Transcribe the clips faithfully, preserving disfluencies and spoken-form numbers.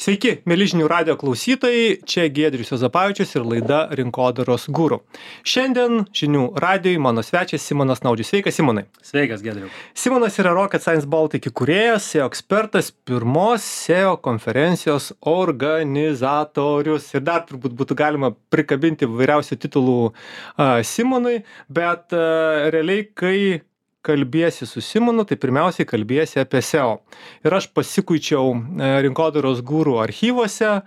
Sveiki, mėly žinių radio klausytojai, čia Giedrius Juozapavičius ir laida Rinkodaros guru. Šiandien žinių radijui mano svečias Simonas Naudžius. Sveikas, Simonai. Sveikas, Giedriu. Simonas yra Rocket Science Baltic įkūrėjas, S E O ekspertas, pirmos S E O konferencijos organizatorius. Ir dar turbūt būtų galima prikabinti vairiausių titulų uh, Simonui, bet uh, realiai, kai kalbiesi su Simonu, tai pirmiausiai kalbiesi apie S E O. Ir aš pasikuičiau Rinkodaros guru archyvose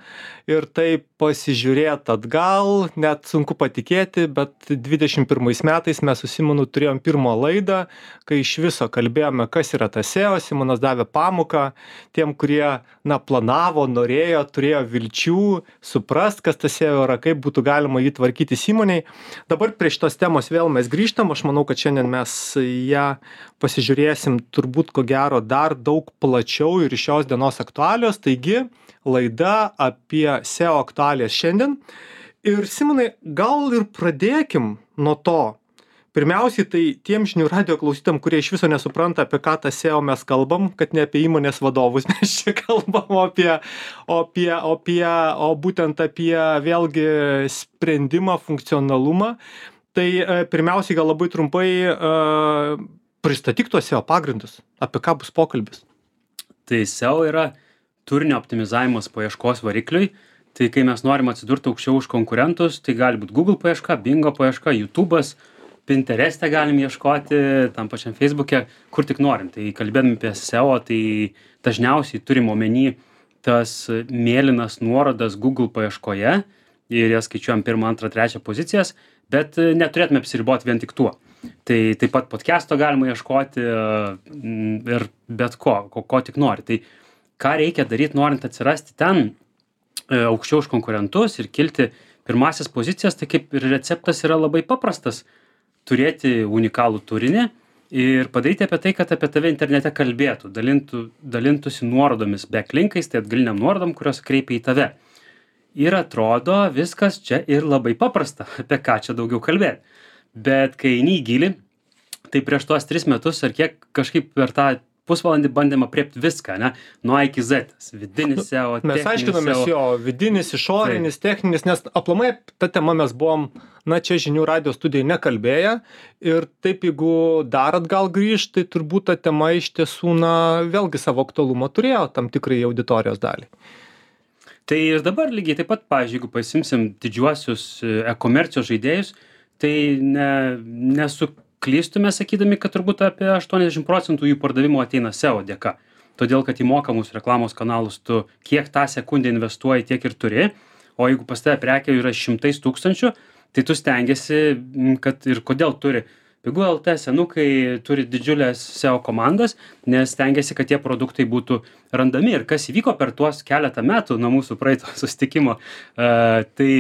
ir tai pasižiūrėt atgal, net sunku patikėti, bet dvidešimt pirmais metais mes su Simonu turėjom pirmą laidą, kai iš viso kalbėjome, kas yra tas S E O. Simonas davė pamoką tiem, kurie na, planavo, norėjo, turėjo vilčių suprast, kas tas S E O yra, kaip būtų galima jį tvarkyti įmoniai. Dabar prie šitos temos vėl mes grįžtam. Aš manau, kad šiandien mes ją pasižiūrėsim turbūt ko gero dar daug plačiau ir iš šios dienos aktualios. Taigi, laida apie S E O aktualijas šiandien. Ir Simonai, gal ir pradėkim nuo to. Pirmiausiai, tai tiem žinių radio klausytam, kurie iš viso nesupranta, apie ką tą S E O mes kalbam, kad ne apie įmonės vadovus mes čia kalbam, o apie, o apie, o apie, o būtent apie vėlgi sprendimą, funkcionalumą. Tai pirmiausiai gal labai trumpai uh, pristatyk tuos S E O pagrindus, apie ką bus pokalbis. Tai S E O yra turinio optimizavimas paieškos varikliui. Tai kai mes norim atsidurti aukščiau už konkurentus, tai gali būti Google paieška, Bingo paieška, YouTube'as, Pinterest'e galim ieškoti, tam pačiam Facebook'e, kur tik norim. Tai kalbėdami apie S E O, tai dažniausiai turim omeny tas mėlynas nuorodas Google paieškoje ir jas skaičiuojam pirmą, antrą, trečią pozicijas, bet neturėtume apsiriboti vien tik tuo. Tai taip pat podcast'o galima ieškoti ir bet ko, ko, ko tik nori. Tai ką reikia daryti, norint atsirasti ten aukščiau už konkurentus ir kilti pirmasis pozicijas, tai kaip ir receptas yra labai paprastas. Turėti unikalų turinį ir padaryti apie tai, kad apie tave internete kalbėtų, dalintų, dalintųsi nuorodomis, backlinkais, tai atgaliniam nuorodom, kurios kreipia į tave. Ir atrodo viskas čia ir labai paprasta, apie ką čia daugiau kalbėti. Bet kai eini į gilį, tai prieš tuos tris metus ar kiek kažkaip per tą pusvalandį bandėm apriepti viską, ne? Nuo A iki Z. Vidinis S E O, mes aiškinomės jo, vidinis, išorinis, tai techninis, nes aplamai tą temą mes buvom, na čia žinių radio studijai nekalbėję ir taip jeigu dar atgal grįžt, tai turbūt ta tema iš tiesų, na, vėlgi savo aktualumą turėjo tam tikrai auditorijos dalį. Tai ir dabar lygiai taip pat, pavyzdžiui, jeigu pasimsim didžiuosius e-komercijos žaidėjus, tai ne, nesuklystume sakydami, kad turbūt apie aštuoniasdešimt procentų jų pardavimo ateina S E O dėka. Todėl, kad į mokamus reklamos kanalus tu kiek tą sekundę investuoji, tiek ir turi, o jeigu pas tave prekė yra šimtais tūkstančių, tai tu stengiasi, kad ir kodėl turi. Pigų L T senukai turi didžiulės S E O komandas, nes stengiasi, kad tie produktai būtų randami. Ir kas įvyko per tuos keletą metų nuo mūsų praeito susitikimo, uh, tai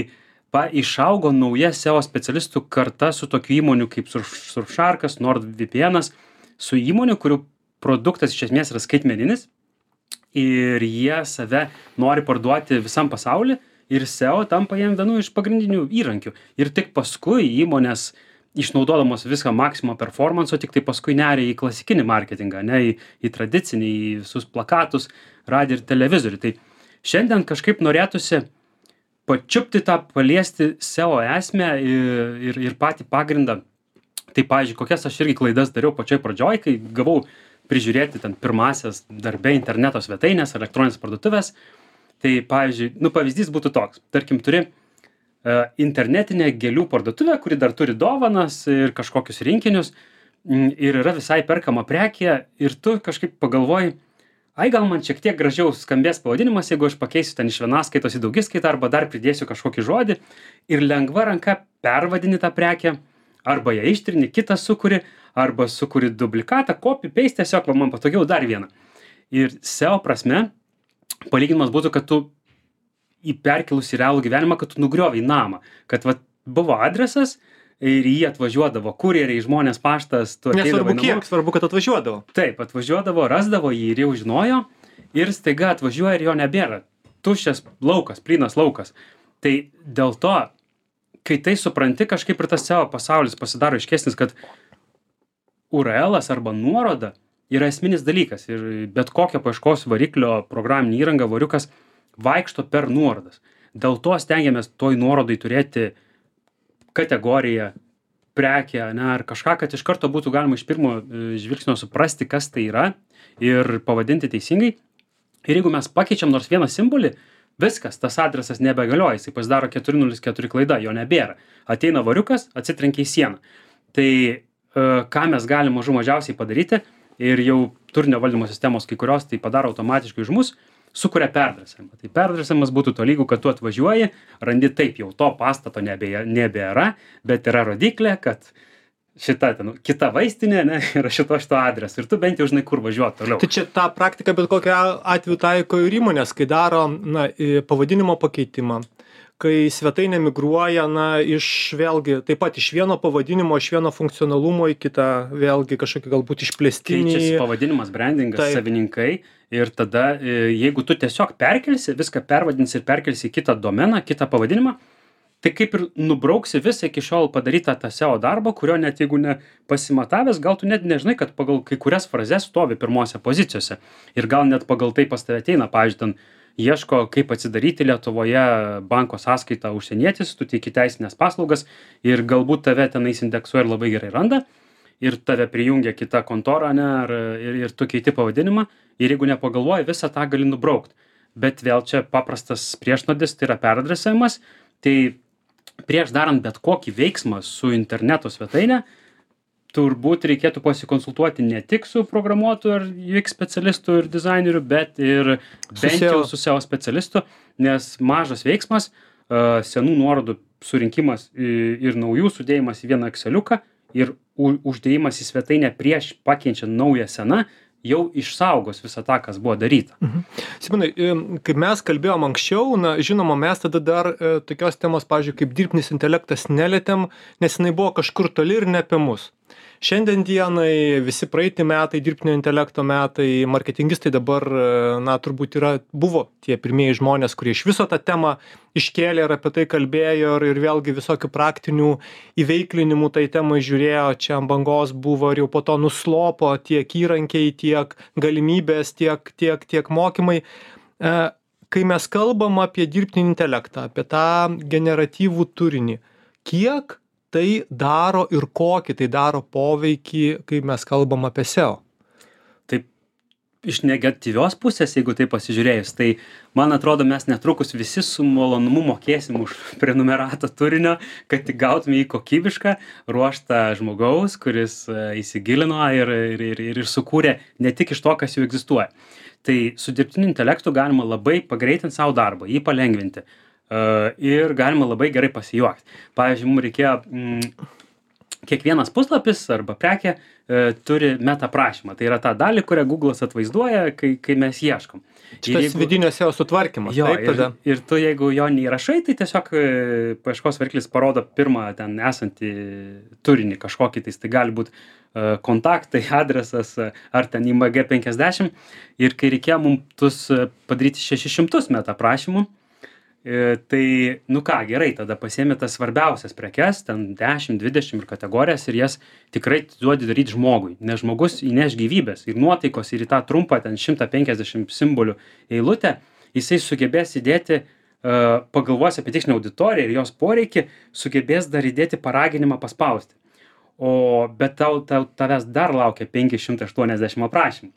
pa, išaugo nauja S E O specialistų karta su tokiu įmonių kaip Surfsharkas, NordVPN'as, su įmonių, kurių produktas iš esmės yra skaitmeninis ir jie save nori parduoti visam pasauliu ir S E O tampa jiem vienu iš pagrindinių įrankių. Ir tik paskui įmonės išnaudodamos viską maksimum performanso, tik tai paskui neria į klasikinį marketingą, ne į, į tradicinį, į visus plakatus, radiją ir televizorių. Tai šiandien kažkaip norėtųsi pačiupti tą, paliesti S E O esmę ir, ir, ir patį pagrindą. Tai, pavyzdžiui, kokias aš irgi klaidas dariau pačioj pradžioj, kai gavau prižiūrėti ten pirmasias darbe interneto svetainės, elektroninės parduotuvės. Tai, pavyzdžiui, nu, pavyzdys būtų toks. Tarkim, turi internetinė gėlių parduotuvė, kuri dar turi dovanas ir kažkokius rinkinius ir yra visai perkama prekė ir tu kažkaip pagalvoji, ai gal man šiek tiek gražiau skambės pavadinimas, jeigu aš pakeisiu ten iš vienaskaitos į daugiskaitą arba dar pridėsiu kažkokį žodį ir lengva ranka pervadini tą prekę arba ją ištrini, kitą sukuri arba sukuri duplikatą, copy, paste, tiesiog va, man patogiau dar vieną. Ir S E O prasme palyginimas būtų, kad tu į perkelus į realų gyvenimą, kad tu nugriovai namą. Kad va, buvo adresas ir jį atvažiuodavo kurjeriai, žmonės, paštas. Nesvarbu kiek, svarbu, kad atvažiuodavo. Taip, atvažiuodavo, rasdavo jį ir jau žinojo ir staiga atvažiuoja ir jo nebėra. Tuščias laukas, plynas laukas. Tai dėl to, kai tai supranti, kažkaip ir tas S E O pasaulis pasidaro aiškesnis, kad U R L-as arba nuoroda yra esminis dalykas ir bet kokio paieškos variklio programinė įranga, variukas vaikšto per nuorodas. Dėl to stengiamės toj nuorodai turėti kategoriją, prekę, ne, ar kažką, kad iš karto būtų galima iš pirmo žvilgsnio suprasti, kas tai yra ir pavadinti teisingai. Ir jeigu mes pakeičiam nors vieną simbolį, viskas, tas adresas nebegalioja, jisai pasidaro keturi nulis keturi klaida, jo nebėra. Ateina variukas, atsitrenkia į sieną. Tai e, ką mes galim mažų mažiausiai padaryti ir jau turinio valdymo sistemos kai kurios tai padaro automatiškai už mus, sukuria perdresavimą. Tai perdresavimas būtų tolygu, kad tu atvažiuoji, randi taip, jau to pastato nebėra, nebėra bet yra rodiklė, kad šita ten, kita vaistinė, ne, yra šito šito adreso ir tu bent jau žinai, kur važiuoti toliau. Tai čia tą praktiką bet kokiu atveju taiko ir įmonės, kai daro na, pavadinimo pakeitimą, kai svetainė migruoja na, iš vėlgi taip pat iš vieno pavadinimo, iš vieno funkcionalumo į kitą vėlgi kažkokį galbūt išplėstinį. Keičiasi pavadinimas, brandingas, taip. Savininkai ir tada jeigu tu tiesiog perkelsi, viską pervadinsi ir perkelsi į kitą domeną, kitą pavadinimą, tai kaip ir nubrauksi visą iki šiol padarytą tą S E O darbą, kurio net jeigu ne pasimatavęs, gal tu net nežinai, kad pagal kai kurias frazes stovi pirmose pozicijose. Ir gal net pagal tai pas tave ateina, pavyzdžiui, ten ieško, kaip atsidaryti Lietuvoje banko sąskaitą užsienietis, tu teiki teisinės paslaugas ir galbūt tave tenais indeksuoja ir labai gerai randa ir tave prijungia kita kontora, ne, ar, ir, ir tu keiti pavadinimą ir jeigu nepagalvoji, visą tą gali nubraukt. Bet vėl čia paprastas priešnuodis, tai yra peradresavimas, tai prieš darant bet kokį veiksmą su interneto svetaine, turbūt reikėtų pasikonsultuoti ne tik su programuotoju ar U X specialistu ir dizaineriu, bet ir bent jau su S E O specialistu, nes mažas veiksmas, senų nuorodų surinkimas ir naujų sudėjimas į vieną Exceliuką ir uždėjimas į svetainę prieš pakeičiant naują seną, jau išsaugos visą tą, kas buvo daryta. Mhm. Simonai, kaip mes kalbėjom anksčiau, na, žinoma, mes tada dar e, tokios temos, pavyzdžiui, kaip dirbtinis intelektas nelietėm, nes jinai buvo kažkur toli ir ne apie mus. Šiandien dienai visi praeiti metai, dirbtinio intelekto metai, marketingistai dabar, na, turbūt yra, buvo tie pirmieji žmonės, kurie iš viso tą temą iškėlė ir apie tai kalbėjo ir, ir vėlgi visokių praktinių įveiklinimų tai temai žiūrėjo, čia ant bangos buvo ir jau po to nuslopo tiek įrankiai, tiek galimybės, tiek, tiek, tiek mokymai. E, kai mes kalbam apie dirbtinį intelektą, apie tą generatyvų turinį, kiek tai daro ir kokį tai daro poveikį, kai mes kalbam apie S E O? Taip, iš negatyvios pusės, jeigu tai pasižiūrėjus, tai man atrodo, mes netrukus visi su malonumu mokėsim už prenumeratą turinio, kad tik gautume į kokybišką ruoštą žmogaus, kuris įsigilino ir, ir, ir, ir sukūrė ne tik iš to, kas jau egzistuoja. Tai su dirbtiniu intelektu galima labai pagreitinti savo darbą, jį palengvinti. Uh, ir galima labai gerai pasijuokti. Pavyzdžiui, mums reikėjo, mm, kiekvienas puslapis arba prekė uh, turi meta prašymą. Tai yra ta dalį, kurią Google'as atvaizduoja, kai, kai mes ieškom. Šitas jeigu, vidinio S E O sutvarkymas. Jo, taip, tada. Ir, ir tu, jeigu jo neįrašai, tai tiesiog uh, paieškos variklis parodo pirmą ten esantį turinį kažkokį, tai tai gali būti uh, kontaktai, adresas uh, ar ten I M G penkiasdešimt. Ir kai reikėjo mums tus uh, padaryti šešis šimtus meta prašymų, tai, nu ką, gerai, tada pasiėmė tas svarbiausias prekes, ten dešimt, dvidešimt ir kategorijas ir jas tikrai duodi daryti žmogui, nes žmogus įneš gyvybės ir nuotaikos ir į tą trumpą ten šimtą penkiasdešimt simbolių eilutę, jisai sugebės įdėti, uh, pagalvos apie tikslinę auditoriją ir jos poreikį, sugebės dar įdėti paraginimą paspausti. O bet tau, tau, tavęs dar laukia penki šimtai aštuoniasdešimt aprašymų.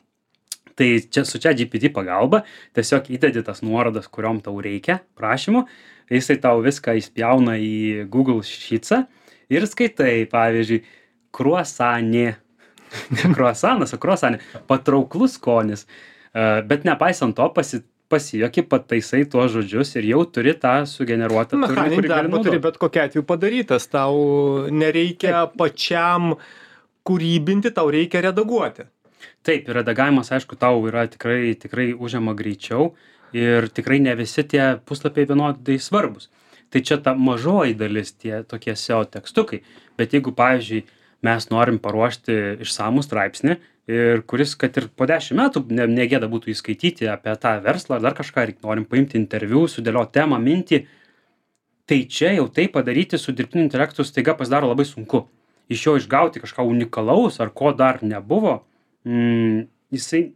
Tai čia su ChatGPT pagalba tiesiog įdedi tas nuorodas, kuriom tau reikia prašymų, jisai tau viską įspjauna į Google Sheets'ą ir skaitai, pavyzdžiui, kruasanė, ne kruasanas, o kruasanė, patrauklus skonis, bet nepaisant to pasi, pasijuoki, pataisai tuos žodžius ir jau turi tą sugeneruotą turinį, kurį gali naudoti. Turi bet kokia atveju padarytas, tau nereikia Taip. pačiam kūrybinti, tau reikia redaguoti. Taip, ir redagavimas, aišku, tau yra tikrai, tikrai užima greičiau ir tikrai ne visi tie puslapiai vienodai svarbus. Tai čia ta mažoji dalis, tie tokie S E O tekstukai. Bet jeigu, pavyzdžiui, mes norim paruošti išsamų straipsnį, ir kuris, kad ir po dešimt metų ne, negėda būtų įskaityti apie tą verslą ar dar kažką, ir norim paimti interviu, sudėlioti temą, mintį, tai čia jau tai padaryti su dirbtiniu intelektu staiga pasidaro labai sunku. Iš jo išgauti kažką unikalaus ar ko dar nebuvo, Mm, jisai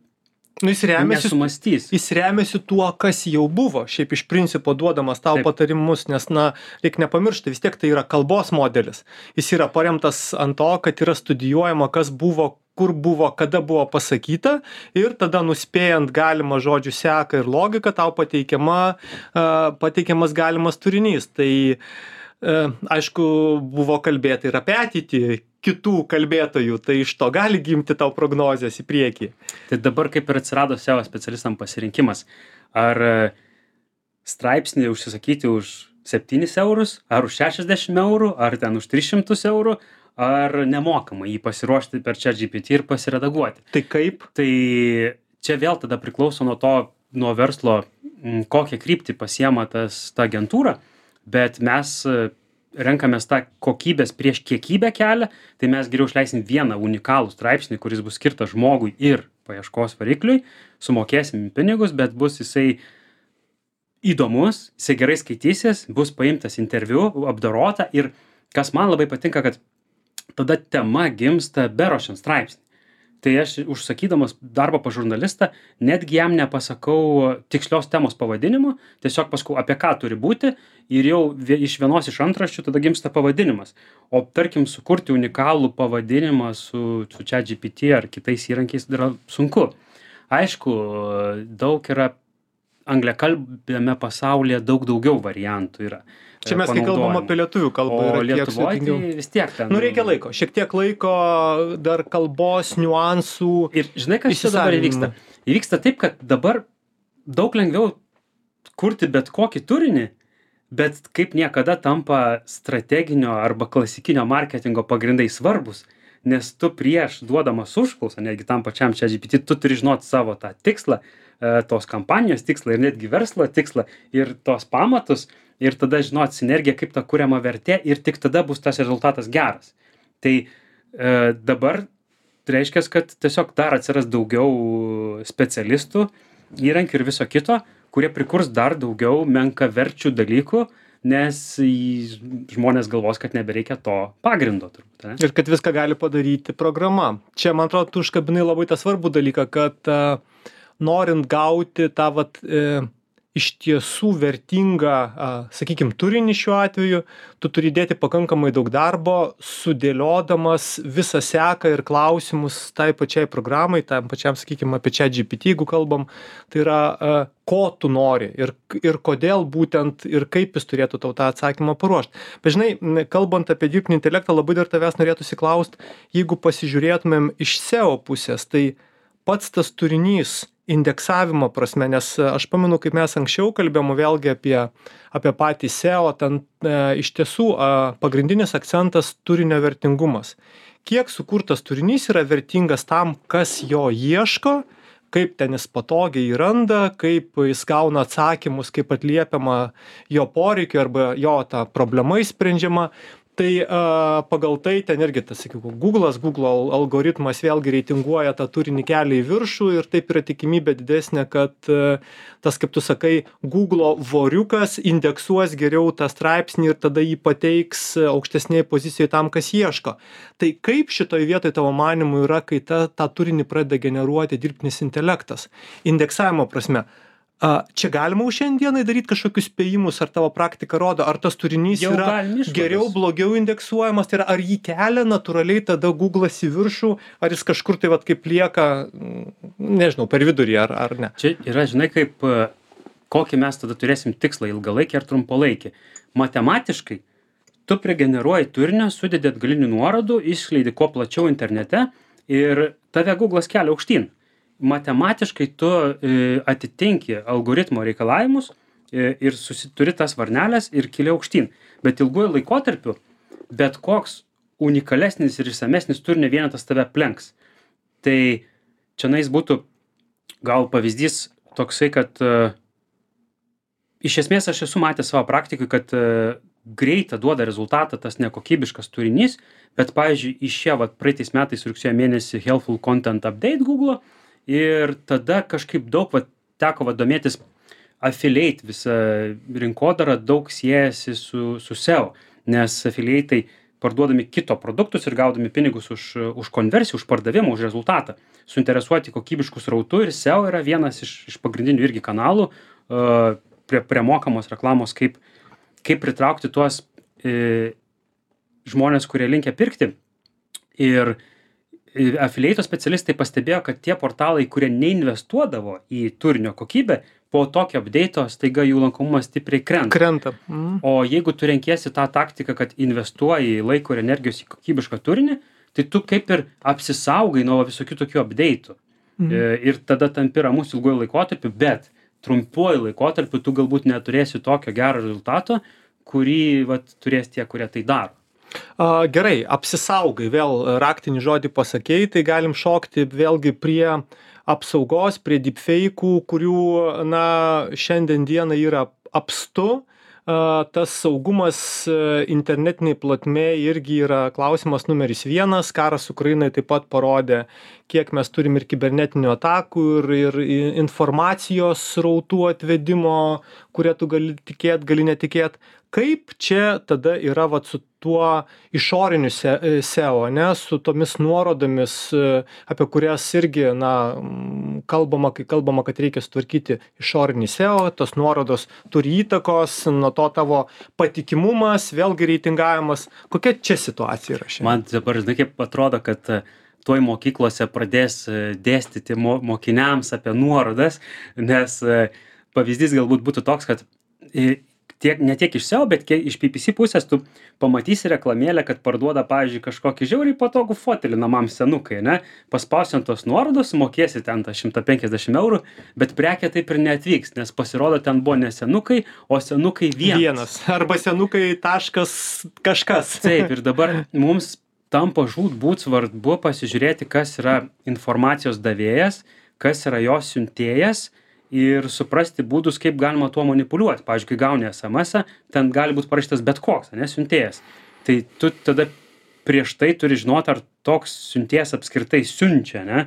Nu, jis remiasi, nesumastys. jis remiasi tuo, kas jau buvo, šiaip iš principo duodamas tau Taip. patarimus, nes, na, reikia nepamiršti, vis tiek tai yra kalbos modelis. Jis yra paremtas ant to, kad yra studijuojama, kas buvo, kur buvo, kada buvo pasakyta ir tada nuspėjant galimą žodžių seką ir logiką, tau pateikiama, uh, pateikiamas galimas turinys. Tai, uh, aišku, buvo kalbėta ir apie ateitį kitų kalbėtojų, tai iš to gali gimti tau prognozės į priekį. Tai dabar kaip ir atsirado S E O specialistam pasirinkimas. Ar straipsnį užsisakyti už septynis eurus, ar už šešiasdešimt eurų, ar ten už tris šimtus eurų, ar nemokamai jį pasiruošti per ChatGPT ir pasiredaguoti. Tai kaip? Tai čia vėl tada priklauso nuo to, nuo verslo, kokią kryptį pasiema tas, ta agentūra, bet mes renkamės tą kokybės prieš kiekybę kelią, tai mes geriau išleisim vieną unikalų straipsnį, kuris bus skirtas žmogui ir paieškos varikliui, sumokėsim pinigus, bet bus jisai įdomus, jisai gerai skaitysis, bus paimtas interviu, apdorota ir kas man labai patinka, kad tada tema gimsta beruošiant straipsnį. Tai aš užsakydamas darbą pas žurnalistą, netgi jam nepasakau tikslios temos pavadinimu, tiesiog pasakau, apie ką turi būti ir jau iš vienos iš antraščių tada gimsta pavadinimas. O tarkim, sukurti unikalų pavadinimą su, su ChatGPT ar kitais įrankiais yra sunku. Aišku, daug yra angliakalbiame pasaulyje daug daugiau variantų yra. Čia mes, kai kalbam apie lietuvių kalbą, o yra tiek Lietuvoje sudėtingiau. tai vis tiek ten. Nu, reikia laiko, šiek tiek laiko, dar kalbos, niuansų. Ir žinai, kas čia dabar įvyksta? Įvyksta taip, kad dabar daug lengviau kurti bet kokį turinį, bet kaip niekada tampa strateginio arba klasikinio marketingo pagrindai svarbus, nes tu prieš duodamas užklausą, netgi tam pačiam ChatGPT, tu turi žinoti savo tą tikslą, tos kampanijos tikslą ir netgi verslo tikslą ir tos pamatus ir tada žinoti sinergiją, kaip ta kuriama vertė ir tik tada bus tas rezultatas geras. Tai e, dabar reiškia, kad tiesiog dar atsiras daugiau specialistų, įrankių ir viso kito, kurie prikurs dar daugiau menkaverčių dalykų, nes žmonės galvos, kad nebereikia to pagrindo turbūt. Ne? Ir kad viską gali padaryti programa. Čia, man atrodo, tu užkabinai labai tą svarbų dalyką, kad uh, norint gauti tą vat, e, iš tiesų vertingą, a, sakykim, turinį šiuo atveju, tu turi dėti pakankamai daug darbo, sudėliodamas visą seką ir klausimus tai pačiai programai, tam pačiam, sakykim, apie ChatGPT, jeigu kalbam, tai yra, a, ko tu nori ir, ir kodėl būtent ir kaip jis turėtų tau tą atsakymą paruošti. Bet žinai, kalbant apie dirbtinį intelektą, labai dar tavęs norėtųsi klaust, jeigu pasižiūrėtumėm iš S E O pusės, tai pats tas turinys indeksavimo prasme, nes aš pamenu, kaip mes anksčiau kalbėjom vėlgi apie, apie patį S E O, ten e, iš tiesų e, pagrindinis akcentas turinio vertingumas. Kiek sukurtas turinys yra vertingas tam, kas jo ieško, kaip ten jis patogiai randa, kaip jis gauna atsakymus, kaip atliepiama jo poreikiu arba jo ta problema įsprendžiama. Tai a, pagal tai ten irgi, tas, sakyčiau, Google'as, Google algoritmas vėlgi reitinguoja tą turinį kelią į viršų ir taip yra tikimybė didesnė, kad a, tas, kaip tu sakai, Google voriukas indeksuos geriau tą straipsnį ir tada jį pateiks aukštesnėje pozicijoje tam, kas ieško. Tai kaip šitoje vietoje tavo manimu yra, kai ta, tą turinį pradeda generuoti dirbtinis intelektas? Indeksavimo prasme. A, čia galima už šiandienai daryti kažkokius spėjimus, ar tavo praktika rodo, ar tas turinys Jau yra geriau, blogiau indeksuojamas, tai yra, ar jį kelia natūraliai tada Google'as į viršų, ar jis kažkur tai vat kaip lieka, nežinau, per vidurį, ar, ar ne. Čia yra, žinai, kaip, kokį mes tada turėsim tikslą, ilgalaikį ar trumpalaikį. Matematiškai, tu prigeneruoji turinio, sudedi atgalinių nuorodų, išskleidi kuo plačiau internete ir tave Google'as kelia aukštyn. Matematiškai tu e, atitinki algoritmo reikalavimus e, ir susituri tas varnelės ir kili aukštyn. Bet ilguoju laikotarpiu, bet koks unikalesnis ir išsamesnis turinio vienetas tave aplenks. Tai čia nais būtų gal pavyzdys toksai, kad e, iš esmės aš esu matęs savo praktikui, kad e, greitą duoda rezultatą tas nekokybiškas turinys, bet pavyzdžiui, išėjo vat, praeitais metais rugsėjo mėnesį Helpful Content Update Google ir tada kažkaip daug vat, teko vat, domėtis affiliate visą rinkodarą, daug siejasi su, su S E O, nes affiliate'ai parduodami kito produktus ir gaudami pinigus už, už konversiją, už pardavimą, už rezultatą. Suinteresuoti kokybiškų srautų ir S E O yra vienas iš, iš pagrindinių irgi kanalų uh, prie, prie mokamos reklamos, kaip, kaip pritraukti tuos e, žmonės, kurie linkia pirkti. Ir affiliate specialistai pastebėjo, kad tie portalai, kurie neinvestuodavo į turinio kokybę, po tokio update'o staiga jų lankomumas stipriai krenta. Krenta. Mm. O jeigu tu renkiesi tą taktiką, kad investuoji laiko ir energijos į kokybišką turinį, tai tu kaip ir apsisaugai nuo visokių tokių update'ų. Mm. Ir tada tampi ramus ilguoju laikotarpiu, bet trumpuoju laikotarpiu tu galbūt neturėsi tokio gero rezultato, kurį vat, turės tie, kurie tai daro. A, gerai, apsisaugai, vėl raktinį žodį pasakei, tai galim šokti vėlgi prie apsaugos, prie deepfake'ų, kurių, na, šiandien dieną yra apstu. A, tas saugumas internetiniai plotmėje irgi yra klausimas numeris vienas. Karas Ukrainai taip pat parodė, kiek mes turim ir kibernetinių atakų, ir, ir informacijos srautų atvedimo, kurie tu gali tikėt, gali netikėt. Kaip čia tada yra vat, su tuo išoriniu S E O, ne, su tomis nuorodomis, apie kurias irgi, na, kalbama, kai kalbama, kad reikia sutvarkyti išorinį S E O, tos nuorodos turi įtakos, nuo to tavo patikimumas, vėlgi reitingavimas. Kokia čia situacija yra šiandien? Man dabar, žinai, kaip atrodo, kad tuoj mokyklose pradės dėstyti mo mokiniams apie nuorodas, nes pavyzdys galbūt būtų toks, kad tiek, ne tiek iš S E O, bet iš P P C pusės tu pamatysi reklamėlę, kad parduoda, pavyzdžiui, kažkokį žiauriai patogų fotelį namam senukai, ne? Paspausi ant tos nuorodos, mokėsi ten tą šimtą penkiasdešimt eurų, bet prekė taip ir neatvyks, nes pasirodo ten buvo ne senukai, o senukai vienas. Vienas. Arba senukai taškas kažkas. Taip, ir dabar mums tampa žūtbūt svarbu pasižiūrėti, kas yra informacijos davėjas, kas yra jos siuntėjas, ir suprasti būdus, kaip galima tuo manipuliuoti. Pavyzdžiui, kai gauni S M S-ą, ten gali būti parašytas bet koks, ne, siuntėjas. Tai tu tada prieš tai turi žinoti, ar toks siuntėjas apskritai siunčia, ne.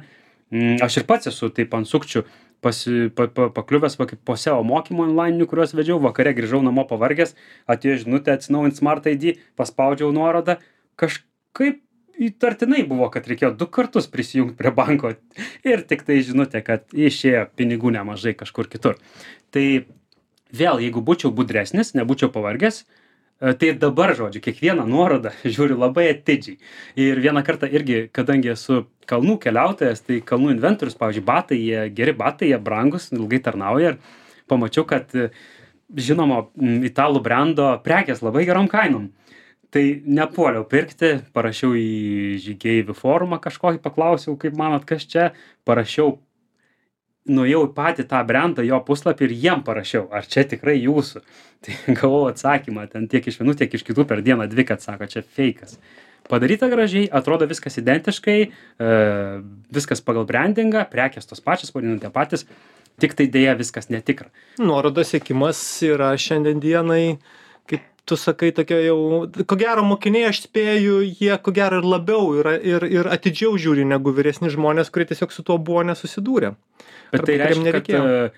Aš ir pats esu taip ant sukčių pasi, pa, pa, pakliuvęs va, kaip po S E O mokymų online, kuriuos vedžiau, vakare grįžau namo pavargęs, atėjo žinutė atsinaujint Smart I D, paspaudžiau nuorodą, kažkaip įtartinai buvo, kad reikėjo du kartus prisijungti prie banko ir tik tai žinutė, kad išėjo pinigų nemažai kažkur kitur. Tai vėl, jeigu būčiau budresnis, nebūčiau pavargęs, tai dabar, žodžiu, kiekvieną nuorodą žiūriu labai atidžiai. Ir vieną kartą irgi, kadangi esu kalnų keliautojas, tai kalnų inventorius, pavyzdžiui, batai, jie geri batai, jie brangus, ilgai tarnauja ir pamačiau, kad žinomo italų brando prekės labai gerom kainom. Tai nepuoliau pirkti, parašiau į žygeivių forumą kažkokį, paklausiau, kaip manot, kas čia, parašiau, nuėjau į patį tą brandą, jo puslapį ir jiem parašiau, ar čia tikrai jūsų. Tai gavau atsakymą, ten tiek iš vienų, tiek iš kitų per dieną dvi, kad sako, čia feikas. Padaryta gražiai, atrodo viskas identiškai, e, viskas pagal brandingą, prekės tos pačios, pavadinant tie patys, tik tai dėja viskas netikra. Nuorodos siekimas yra šiandien dienai, kaip tu sakai, tokia jau, ko gero mokiniai, aš spėju, jie ko gero ir labiau yra, ir, ir atidžiau žiūri negu vyresni žmonės, kurie tiesiog su tuo buvo nesusidūrę. Bet tai reiškia, kad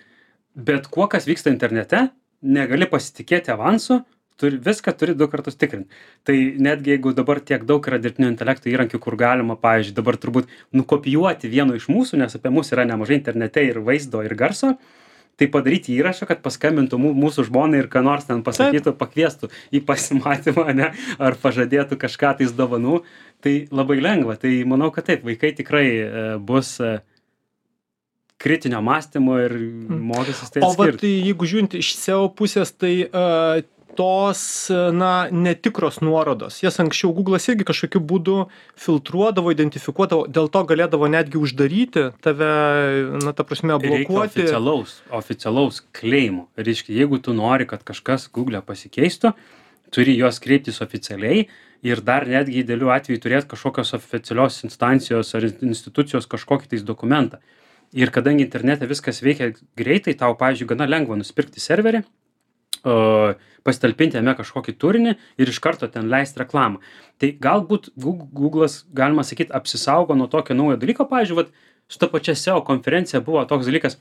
bet kuo, kas vyksta internete, negali pasitikėti avansu, turi, viską turi du kartus tikrinti. Tai netgi jeigu dabar tiek daug yra dirbtinio intelekto įrankių, kur galima, pavyzdžiui, dabar turbūt nukopijuoti vieno iš mūsų, nes apie mus yra nemažai internete ir vaizdo, ir garso, tai padaryti įrašą, kad paskambintų mūsų žmonai ir ką nors ten pasakytų, pakviestų į pasimatymą, ne, ar pažadėtų kažką tais dovanų, tai labai lengva. Tai manau, kad taip, vaikai tikrai e, bus e, kritinio mąstymo ir mokysis tai atskirti. O vat, jeigu žiūrint iš S E O pusės, tai uh, tos, na, netikros nuorodos, jas anksčiau Google'as irgi kažkokiu būdu filtruodavo, identifikuodavo, dėl to galėdavo netgi uždaryti tave, na, ta prasme, blokuoti. Reikia oficialaus, oficialaus kleimo. Reiškia, jeigu tu nori, kad kažkas Google'e pasikeistų, turi juos kreiptis oficialiai ir dar netgi idealiu atveju turėti kažkokios oficialios instancijos ar institucijos kažkokį tais dokumentą. Ir kadangi internete viskas veikia greitai, tau, pavyzdžiui, gana lengva nusipirkti serverį, Uh, pasitalpinti jame kažkokį turinį ir iš karto ten leisti reklamą. Tai galbūt Google'as, galima sakyti, apsisaugo nuo tokio naujo dalyko. Pavyzdžiui, vat, su ta pačia S E O konferencija buvo toks dalykas.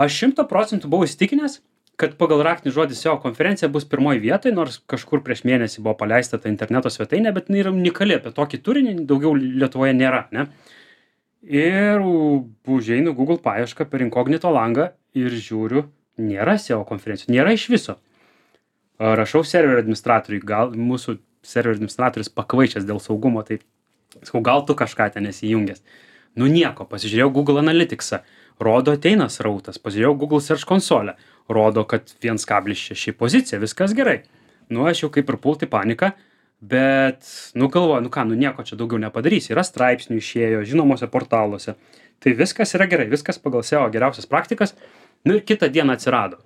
Aš šimtą procentų buvau įsitikinęs, kad pagal raktinį žodį S E O konferencija bus pirmoj vietoj, nors kažkur prieš mėnesį buvo paleista ta interneto svetainė, bet jinai yra unikali, apie tokį turinį daugiau Lietuvoje nėra, ne? Ir užeinu Google paiešką per inkognito langą ir žiūriu, nėra S E O konferencijų, nėra iš viso. Rašau serverio administratoriui, gal mūsų serverio administratorius pakvaišęs dėl saugumo, tai sakau, gal tu kažką ten esi įjungęs. Nu nieko, pasižiūrėjau Google Analyticsą, rodo ateina srautas, pasižiūrėjau Google Search konsolę, rodo, kad vienas kablis šeši pozicija, viskas gerai. Nu, aš jau kaip ir pulti paniką, bet, nu galvoju, nu ką, nu nieko čia daugiau nepadarysi, yra straipsnių išėjo, žinomose portaluose. Tai viskas yra gerai, viskas pagal S E O geriausias praktikas, nu ir kitą dieną atsirado.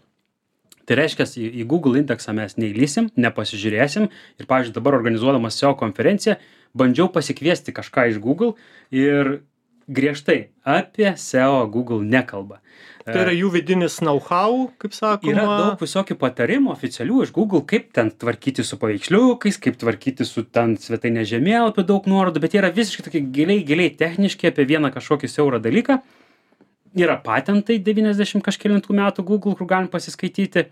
Tai reiškia, į, į Google indeksą mes neįlysim, nepasižiūrėsim ir, pavyzdžiui, dabar organizuodamas S E O konferenciją, bandžiau pasikviesti kažką iš Google ir griežtai apie S E O Google nekalba. Tai yra jų vidinis know-how, kaip sakoma. Yra daug visokių patarimų oficialių iš Google, kaip ten tvarkyti su paveiksliukais, kaip tvarkyti su ten svetainės žemėlapiu, daug nuorodų, bet jie yra visiškai tokie giliai, giliai techniški apie vieną kažkokį siaurą dalyką. Yra patentai devyniasdešimt kažkelintų metų Google, kur galim pasiskaityti.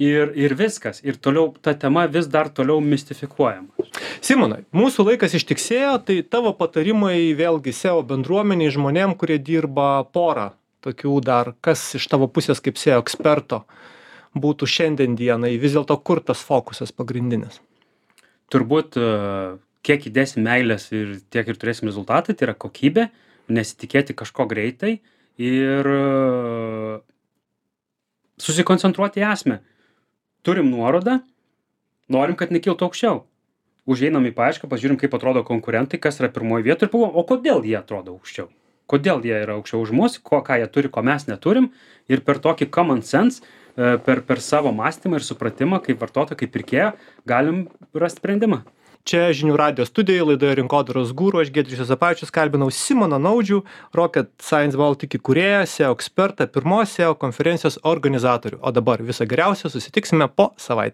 Ir, ir viskas. Ir toliau ta tema vis dar toliau mistifikuojama. Simonai, mūsų laikas ištiksėjo, tai tavo patarimai vėlgi S E O bendruomeniai, žmonėm, kurie dirba porą tokių dar, kas iš tavo pusės kaip S E O eksperto būtų šiandien dienai, vis dėlto kur tas fokusas pagrindinis? Turbūt kiek įdėsim meilės ir tiek ir turėsim rezultatą, tai yra kokybė, nesitikėti kažko greitai ir susikoncentruoti į esmę. Turim nuorodą, norim, kad nekiltų aukščiau. Užeinam į paiešką, pažiūrim, kaip atrodo konkurentai, kas yra pirmoji vieta ir pagalvojam, o kodėl jie atrodo aukščiau? Kodėl jie yra aukščiau už mus, ko, ką jie turi, ko mes neturim. Ir per tokį common sense, per, per savo mąstymą ir supratimą, kaip vartotojo, kaip pirkėjo, galim rasti sprendimą. Čia žinių radijo studijoje laidoje Rinkodaros guru, aš Giedrius Juozapavičius kalbinau Simoną Naudžių, Rocket Science Baltic įkūrėją, S E O ekspertą, pirmos S E O konferencijos organizatorių. O dabar viso geriausio, susitiksime po savaitės.